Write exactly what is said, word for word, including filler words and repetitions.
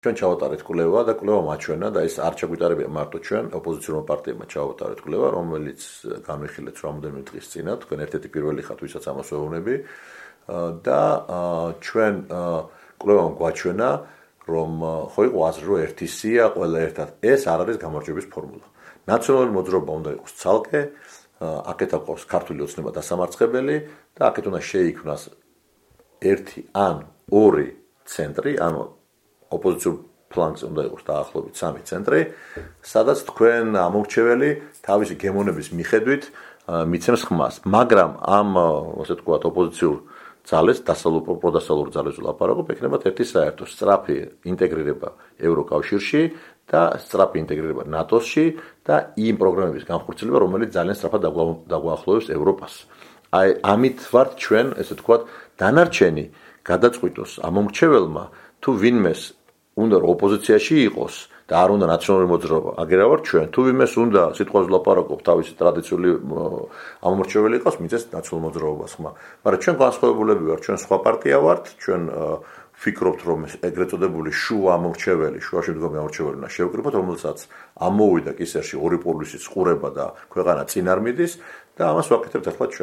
ჩვენ ჩავატარეთ კვლევა და კვლევა მაჩვენა და ეს არ ჩაგვიტარებია მარტო ჩვენ ოპოზიციურმა პარტიებმა ჩავატარეთ კვლევა, რომელიც განვიხილეთ რამოდენიმე დღის წინა, თქვენ ერთ-ერთი პირველი ხართ, ვისაც ამას ვეუბნები და ჩვენ კვლევამ გვაჩვენა, რომ ხო იყო აზრი, რომ ერთი სია, ყველა ერთად. ეს არ არის გამარჯვების ფორმულა. ნაციონალური მოძრაობა უნდა იყოს ცალკე, აქეთ აქვს ქართული ოცნება დასამარცხებელი და აქეთ უნდა შეიქმნას ერთი ან ორი ცენტრი, ანუ ოპოზიციურ ფლანგზე უნდა იყოს დაახლოებით სამი ცენტრი, სადაც თქვენ ამორჩეველი თავისი გემონების მიხედვით მიცემს ხმას. მაგრამ ამ, ასე ვთქვათ, ოპოზიციურ ძალებს, პროდასალურ ძალებს ვლაპარაკობ, ექნებათ ერთი საერთო სწრაფი ინტეგრირება ევროკავშირში და სწრაფი ინტეგრირება ნატოში და იმ პროგრამების განხორციელება, რომელიც ძალიან სწრაფად დაგვაახლოვებს ევროპას. აი, ამით ვართ ჩვენ, ესე ვთქვათ, დანარჩენი გადაწყვიტოს ამომრჩეველმა თუ ვინმეს უნდა რომ ოპოზიციაში იყოს და არ უნდა ნაციონალური მოძრაობა, აგერა ვარ ჩვენ, თუ ვინმეს უნდა სიტყვაზე ვლაპარაკობ, თავისი ტრადიციული ამომრჩეველი იყოს, მიწეს ნაციონალურ მოძრაობას ხმა. მაგრამ ჩვენ განსხვავებულები ვართ, ჩვენ სხვა პარტია ვართ, ჩვენ ვფიქრობთ, რომ ეგრეთ წოდებული შუა ამორჩეველი, შუაში მდგომი ამორჩეველი უნდა შევკრიბოთ, რომელსაც ამოვიდა კისერში ორი პოლისის ყურება და ქვეყანა წინ არ მიდის და ამას ვაკეთებთ ახლა ჩვენ.